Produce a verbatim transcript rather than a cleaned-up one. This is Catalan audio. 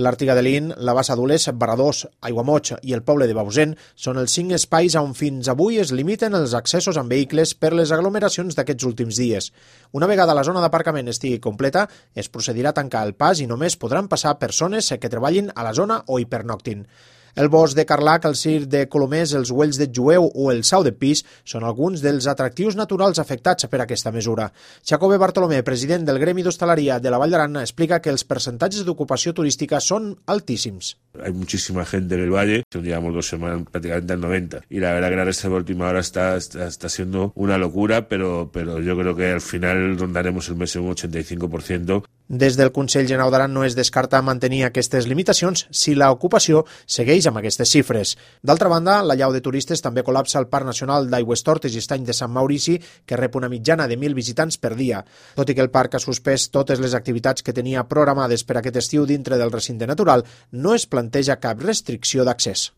L'Àrtiga de Lin, la Bassa d'Ules, Baradós, Aiguamoig i el poble de Bausen són els cinc espais on fins avui es limiten els accessos amb vehicles per les aglomeracions d'aquests últims dies. Una vegada la zona d'aparcament estigui completa, es procedirà a tancar el pas i només podran passar persones que treballin a la zona o hi pernoctin. El bosc de Carlac, el circ de Colomers, els Güells de Jueu o el Sau de Pis són alguns dels atractius naturals afectats per aquesta mesura. Jacobe Bartolomé, president del Gremi d'Hostaleria de la Vall d'Aran, explica que els percentatges d'ocupació turística són altíssims. Hay muchísima gente en el valle, llevamos dos semanas prácticamente al noventa y la verdad que la reserva de última hora está, está, está siendo una locura, pero, pero yo creo que al final rondaremos el mes en un ochenta y cinco por ciento. Des del Consell General d'Aran no es descarta mantenir aquestes limitacions si l'ocupació segueix amb aquestes xifres. D'altra banda, la llau de turistes també col·lapsa el Parc Nacional d'Aigüestortes i Estany de Sant Maurici, que rep una mitjana de mil visitants per dia. Tot i que el parc ha suspès totes les activitats que tenia programades per aquest estiu dintre del recinte natural, no es planteja cap restricció d'accés.